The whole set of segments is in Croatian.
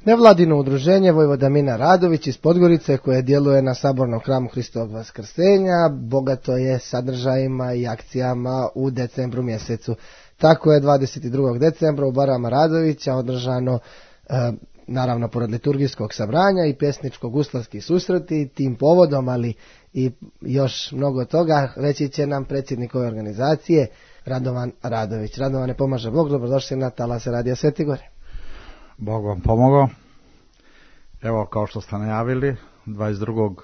Nevladino udruženje Vojvoda Mina Radović iz Podgorice koje djeluje na Sabornom hramu Hristovog Vaskrsenja bogato je sadržajima i akcijama u decembru mjesecu. Tako je 22. decembra u barama Radovića održano naravno pored liturgijskog sabranja i pjesničko-guslarski susreti. Tim povodom, ali i još mnogo toga, reći će nam predsjednik ove organizacije Radovan Radović. Radovane, pomaže Bog, dobrodošli na talase Radija Sveti Gore. Bog vam pomogao. Evo, kao što ste najavili, 22.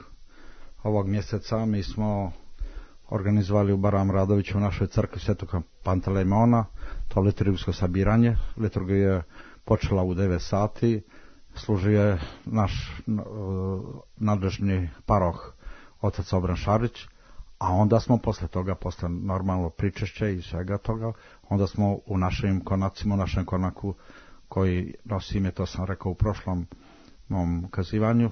ovog mjeseca mi smo organizovali u Baram Radoviću u našoj crkvi Svetog Pantelejmona to liturgijsko sabiranje. Liturgija je počela u 9 sati, služio je naš nadležni paroh otac Obran Šarić, a onda smo posle toga, posle normalno pričešće i svega toga, onda smo u našim konacima, u našem konaku koji nosi ime, to sam rekao u prošlom mom kazivanju,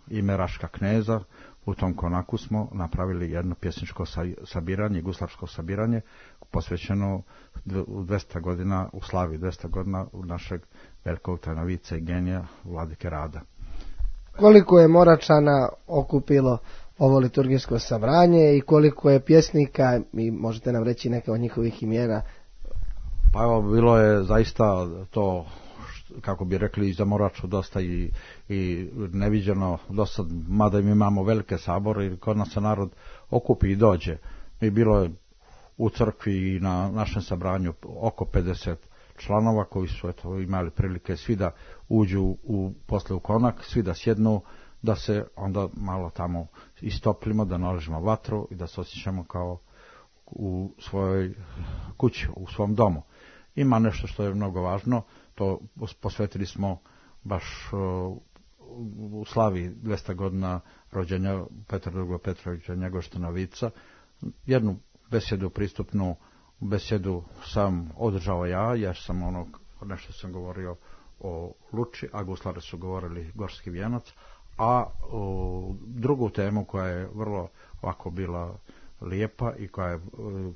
ime Raška kneza, u tom konaku smo napravili jedno pjesničko sabiranje, guslarsko sabiranje, posvećeno u 200 godina, u slavi 200 godina u našeg velikog tajnovica i genija Vladike Rada. Koliko je Moračana okupilo ovo liturgijsko sabranje i koliko je pjesnika, i možete nam reći neke od njihovih imena? Pa evo, bilo je zaista to, kako bi rekli, za Moraču dosta i neviđeno dosta, mada mi imamo velike sabore i kod nas se narod okupi i dođe. Mi bilo je u crkvi i na našem sabranju oko 50 članova koji su imali prilike svi da uđu posle u konak, svi da sjednu, da se onda malo tamo istoplimo, da naložimo vatru i da se osjećamo kao u svojoj kući, u svom domu. Ima nešto što je mnogo važno, to posvetili smo baš u slavi 200 godina rođenja Petra II. Petrovića Njegoštana Vica, jednu besedu, pristupnu besedu sam održao ja, jer sam nešto sam govorio o Luči, a guslari su govorili Gorski vijenac, a drugu temu koja je vrlo ovako bila lijepa i koja je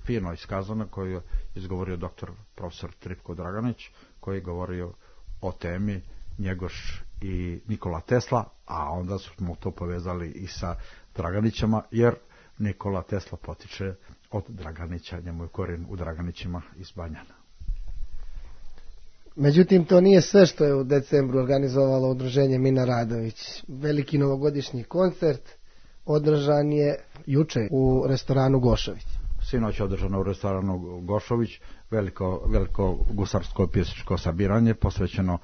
fino iskazana, koju je izgovorio doktor profesor Tripko Draganić, koji je govorio o temi Njegoš i Nikola Tesla, a onda smo to povezali i sa Draganićama, jer Nikola Tesla potiče od Draganića, njemu je korijen u Draganićima iz Banjana. Međutim, to nije sve što je u decembru organizovalo udruženje Mina Radović. Veliki novogodišnji koncert održan je juče u restoranu Gošović. Sinoć je održano u restoranu Gošović veliko gusarsko pjesničko sabiranje posvećeno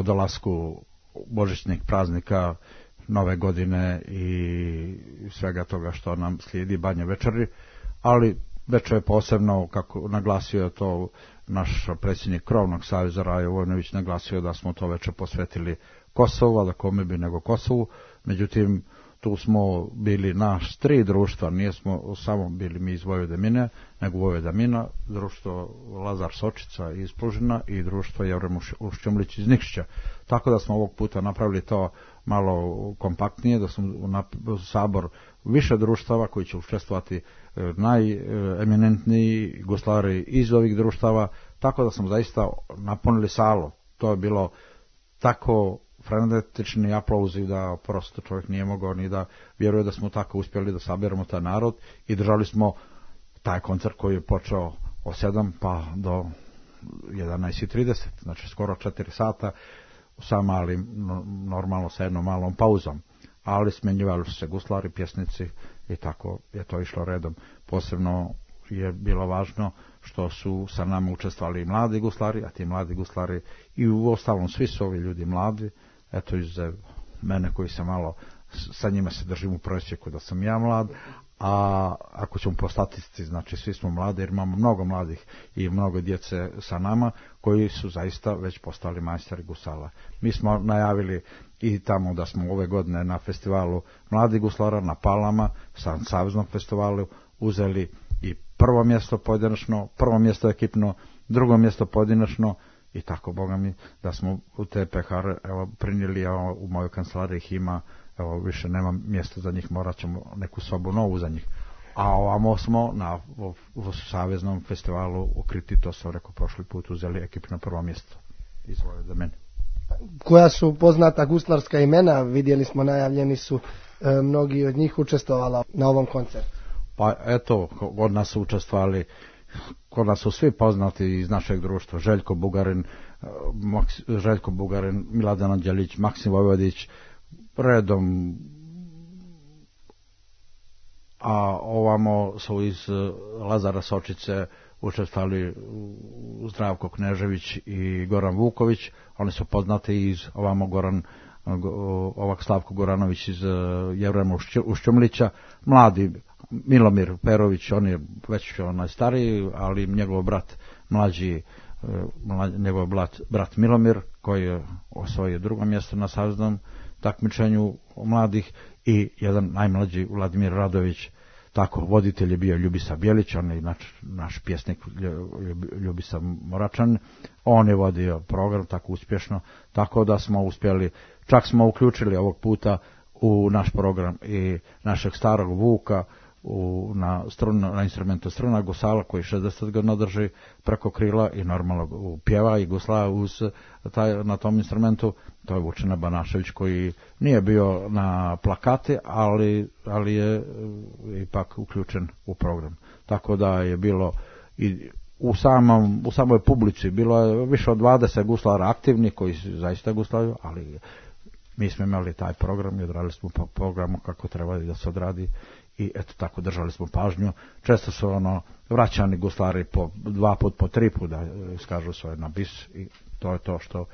dolasku božićnih praznika, nove godine i svega toga što nam slijedi, Banje večeri, ali večer je posebno, kako naglasio je to naš predsjednik Krovnog saveza Rajo Vojnović, naglasio da smo to večer posvetili Kosovu, a da kome bi nego Kosovu. Međutim, tu smo bili naš 3 društva, nismo samo bili mi iz Vojvode Mine, nego Vojvoda Mina, društvo Lazar Sočica iz Plužina i društvo Jevrem Ušćumlić iz Nikšića. Tako da smo ovog puta napravili to malo kompaktnije, da smo u sabor više društava koji će učestvovati najeminentniji guslari iz ovih društava, tako da smo zaista napunili salu. To je bilo tako frenetični aplauzi da prosto čovjek nije mogao ni da vjeruje da smo tako uspjeli da saberemo taj narod i držali smo taj koncert koji je počeo od 7 pa do 11:30, znači skoro 4 sata sa malim, normalno sa jednom malom pauzom, ali smjenjivali su se guslari, pjesnici i tako je to išlo redom. Posebno je bilo važno što su sa nama učestvovali i mladi guslari, a ti mladi guslari i u ostalom svi su ovi ljudi mladi, eto izuzev mene koji se malo, sa njima se držim u prosjeku da sam ja mlad, a ako ćemo po statistici, znači svi smo mladi jer imamo mnogo mladih i mnogo djece sa nama koji su zaista već postali majstori gusala. Mi smo najavili i tamo da smo ove godine na festivalu mladih guslara na Palama, sa saveznom festivalu, uzeli i prvo mjesto pojedinačno, prvo mjesto ekipno, drugo mjesto pojedinačno i tako, Boga mi, da smo u te pehare prinijeli, u mojoj kancelariji ih ima, više nema mjesta za njih, morat ćemo neku sobu novu za njih. A ovamo smo na saveznom festivalu u Kriti, to sam rekao prošli put, uzeli ekipno prvo mjesto. Izvolite za mene. Koja su poznata guslarska imena, vidjeli smo najavljeni su mnogi od njih učestvovala na ovom koncertu. Pa eto, od nas su učestvovali, kod nas su svi poznati iz našeg društva, Željko Bugarin, Miladan Anđelić, Maksim Vojvodić, redom, a ovamo su iz Lazara Sočice učestvovali Zdravko Knežević i Goran Vuković, oni su poznati iz ovamo Slavko Goranović iz Jevrema Ušćumlića, mladi Milomir Perović, on je već stariji, ali njegov brat mlađi, njegov brat Milomir, koji je osvojio drugo mjesto na saveznom takmičenju mladih, i jedan najmlađi Vladimir Radović. Tako, voditelj je bio Ljubisa Bjelić, on je naš pjesnik Ljubisa Moračan, on je vodio program tako uspješno, tako da smo uspjeli, čak smo uključili ovog puta u naš program i našeg starog Vuka na instrumentu struna gusala, koji 60 godina drži preko krila i normalno pjeva i gusla na tom instrumentu. To je Vučina Banašević, koji nije bio na plakati, ali je ipak uključen u program. Tako da je bilo i u samoj publici bilo je više od 20 guslara aktivni koji zaista guslaju, ali mi smo imali taj program i odradili smo po programu kako treba da se odradi. I eto tako, držali smo pažnju. Često su vraćani guslari po 2 put, po 3 put da skažu svoje na bis, i to je to što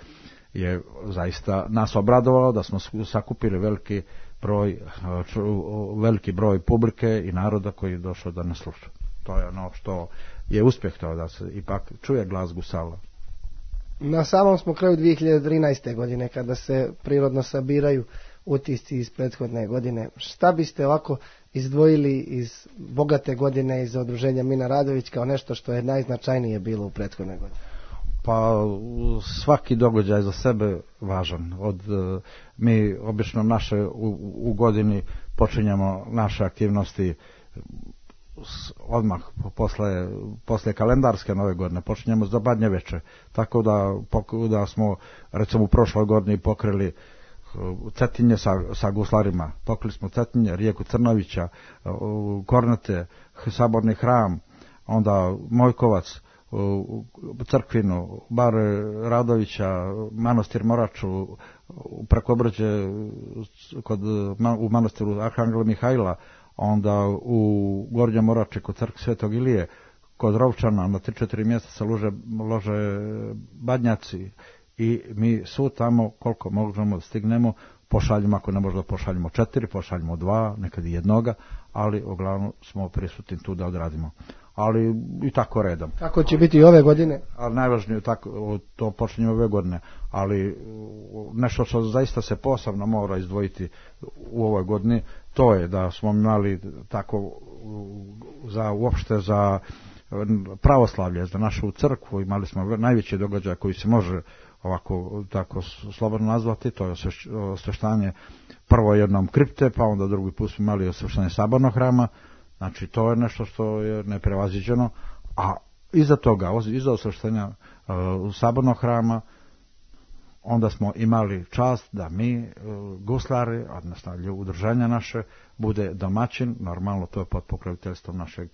je zaista nas obradovalo, da smo sakupili veliki broj publike i naroda koji je došao da nas sluša. To je ono što je uspjeh, to da se ipak čuje glas gusala. Na samom smo kraju 2013. godine, kada se prirodno sabiraju utisci iz prethodne godine. Šta biste ovako izdvojili iz bogate godine iz Udruženja Mina Radović kao nešto što je najznačajnije bilo u prethodnoj godini? Pa svaki događaj za sebe važan. Mi obično u godini počinjemo naše aktivnosti odmah posle kalendarske nove godine, počinjemo za Badnje veče, tako da smo recimo u prošloj godini pokrili Cetinje sa guslarima, pokrili smo Cetinje, rijeku Crnovića, Kornate, Saborni hram, onda Mojkovac, Crkvinu, Bar Radovića, Manastir Moraču, preko Brđe u manastiru Arhangela Mihajla, onda u Gornjem Morači kod crkve Svetog Ilije, kod Rovčana na 3-4 mjeseca lože Badnjaci, i mi su tamo koliko možemo stignemo pošaljemo, ako ne možemo pošaljemo 4, pošaljemo 2, nekad i jednoga, ali uglavnom smo prisutni tu da odradimo. Ali i tako redom. Kako će biti i ove godine? Ali najvažnije to počinje ove godine, ali nešto što zaista se posebno mora izdvojiti u ovoj godini, to je da smo imali tako uopšte za pravoslavlje, za našu crkvu, imali smo najveći događaj koji se može ovako tako slobodno nazvati, to je osveštanje prvo jednom kripte, pa onda drugi put smo imali osveštanje sabornog hrama. Znači to je nešto što je neprevaziđeno, a iza toga, iza osveštanja sabornog hrama, onda smo imali čast da mi guslari, odnosno udruženja naše, bude domaćin, normalno to je pod pokroviteljstvom našeg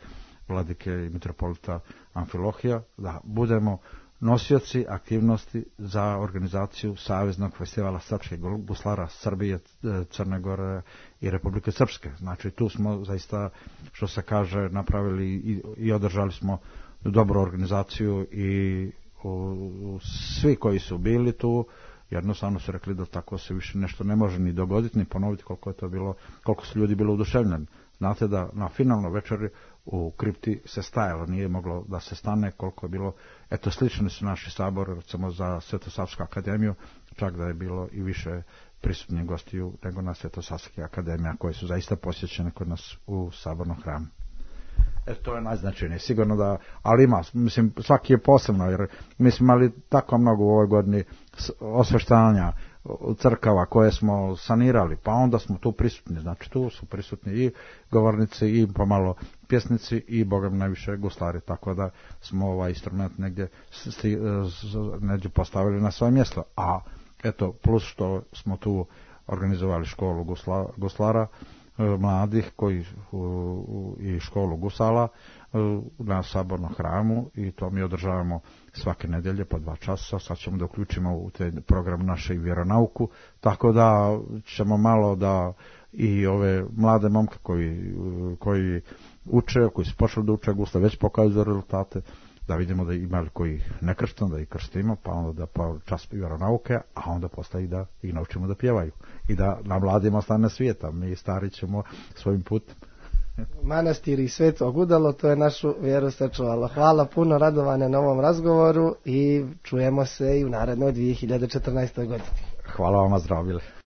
vladike i mitropolita Amfilohija, da budemo nosioci aktivnosti za organizaciju Saveznog festivala srpskih guslara Srbije, Crne Gore i Republike Srpske. Znači tu smo zaista, što se kaže, napravili i održali smo dobru organizaciju, i svi koji su bili tu jednostavno su rekli da tako se više nešto ne može ni dogoditi ni ponoviti koliko su ljudi bilo oduševljeni. Znate da na finalnoj večeri u kripti se stajalo, nije moglo da se stane koliko je bilo, eto slični su naši sabor, recimo za Svetosavsku akademiju, čak da je bilo i više prisutnih gostiju nego na Svetosavskih akademija, koje su zaista posjećene kod nas u sabornom hramu. To je najznačajnije, sigurno da, ali ima, mislim, svaki je posebno, jer mi smo imali tako mnogo u ovoj godini osveštanja crkava koje smo sanirali, pa onda smo tu prisutni, znači tu su prisutni i govornici i pomalo pjesnici i bogam najviše guslari, tako da smo ovaj instrument negdje postavili na svoje mjesto. A eto, plus što smo tu organizovali školu guslara mladih i školu gusala na Sabornom hramu i to mi održavamo svake nedelje po 2 časa. Sad ćemo da uključimo u te program naše i vjeronauku, tako da ćemo malo da i ove mlade momke koji uče, koji su počeli da uče gusle, već pokazuju rezultate, da vidimo da ima koji ne krštimo, da ih krštimo, pa onda da pa čas vjeronauke, a onda posle i da ih naučimo da pjevaju i da na mladima ostane svijeta. Mi stari ćemo svojim putem. Manastir i Sveto Gudalo, to je našu vjeru sačuvalo. Hvala puno, Radovane, na ovom razgovoru i čujemo se i u narednoj 2014. godini. Hvala vam, zdravili.